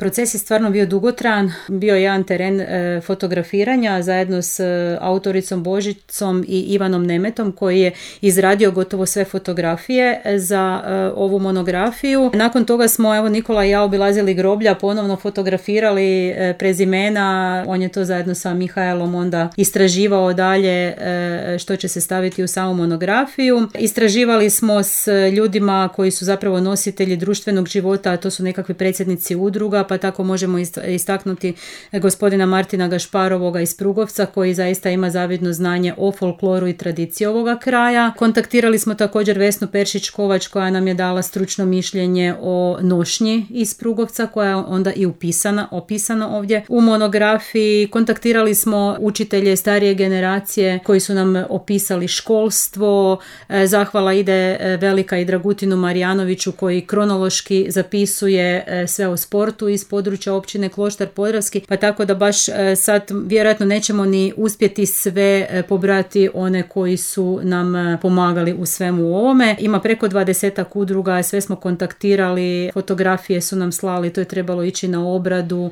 Proces je stvarno bio dugotrajan, bio je jedan teren fotografiranja zajedno s autoricom Božicom i Ivanom Nemetom koji je izradio gotovo sve fotografije za ovu monografiju. Nakon toga smo, evo, Nikola i ja obilazili groblja, ponovno fotografirali prezimena, on je to zajedno sa Mihaelom onda istraživao dalje što će se staviti u samu monografiju. Istraživali smo s ljudima koji su zapravo nositelji društvenog života, a to su nekakvi predsjednici udruga, pa tako možemo istaknuti gospodina Martina Gašparovoga iz Prugovca koji zaista ima zavidno znanje o folkloru i tradiciji ovoga kraja. Kontaktirali smo također Vesnu Peršić-Kovač koja nam je dala stručno mišljenje o nošnji iz Prugovca koja je onda i opisana ovdje u monografiji. Kontaktirali smo učitelje starije generacije koji su nam opisali školstvo. Zahvala ide velika i Dragutinu Marijanoviću koji kronološki zapisuje sve o sportu iz područja općine Kloštar Podravski, pa tako da baš sad vjerojatno nećemo ni uspjeti sve pobrati one koji su nam pomagali u svemu ovome. Ima preko 20 udruga, sve smo kontaktirali, fotografije su nam slali, to je trebalo ići na obradu.